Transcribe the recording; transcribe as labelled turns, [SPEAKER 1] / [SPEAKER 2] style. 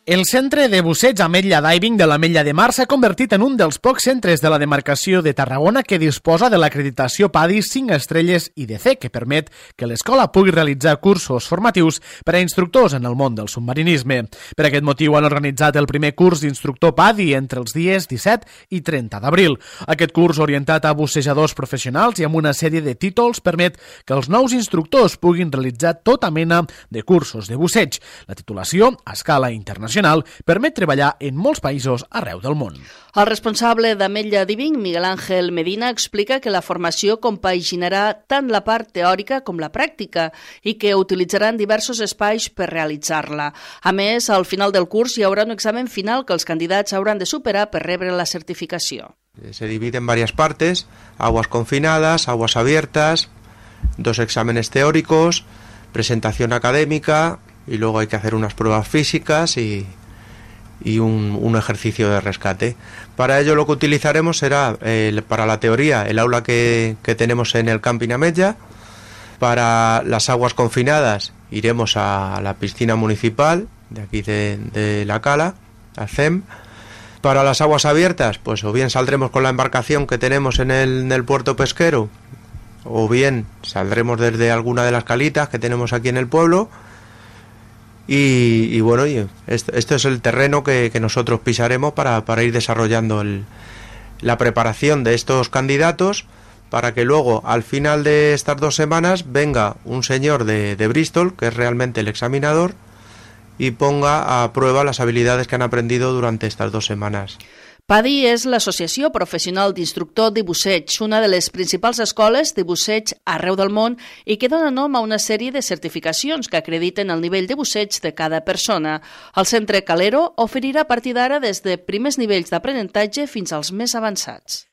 [SPEAKER 1] El centre de busseig Ametlla Diving de l'Ametlla de Mar s'ha convertit en un dels pocs centres de la demarcació de Tarragona que disposa de l'acreditació PADI 5 estrelles IDC, que permet que l'escola pugui realitzar cursos formatius per a instructors en el món del submarinisme. Per aquest motiu han organitzat el primer curs d'instructor PADI entre els dies 17 i 30 d'abril. Aquest curs, orientat a bussejadors professionals i amb una sèrie de títols, permet que els nous instructors puguin realitzar tota mena de cursos de busseig. La titulació, a escala internacional, permet treballar en molts països arreu del món.
[SPEAKER 2] El responsable d'Ametlla Diving, Miguel Ángel Medina, explica que la formació compaginarà tant la part teòrica com la pràctica i que utilitzaran diversos espais per realitzar-la. A més, al final del curs hi haurà un examen final que els candidats hauran de superar per rebre la certificació.
[SPEAKER 3] Se divide en varias partes: aguas confinadas, aguas abiertas, 2 exámenes teóricos, presentación académica, y luego hay que hacer unas pruebas físicas y un ejercicio de rescate. Para ello lo que utilizaremos será, para la teoría, el aula que tenemos en el Camping Ametlla. Para las aguas confinadas iremos a la piscina municipal de aquí de La Cala, al CEM. Para las aguas abiertas, pues o bien saldremos con la embarcación que tenemos en el puerto pesquero, o bien saldremos desde alguna de las calitas que tenemos aquí en el pueblo. Y bueno, esto es el terreno que nosotros pisaremos para ir desarrollando la preparación de estos candidatos, para que luego al final de estas 2 semanas venga un señor de Bristol, que es realmente el examinador, y ponga a prueba las habilidades que han aprendido durante estas 2 semanas.
[SPEAKER 2] PADI és l'Associació Professional d'Instructor de Busseig, una de les principals escoles de busseig arreu del món i que dona nom a una sèrie de certificacions que acrediten el nivell de busseig de cada persona. El Centre Calero oferirà a partir d'ara des de primers nivells d'aprenentatge fins als més avançats.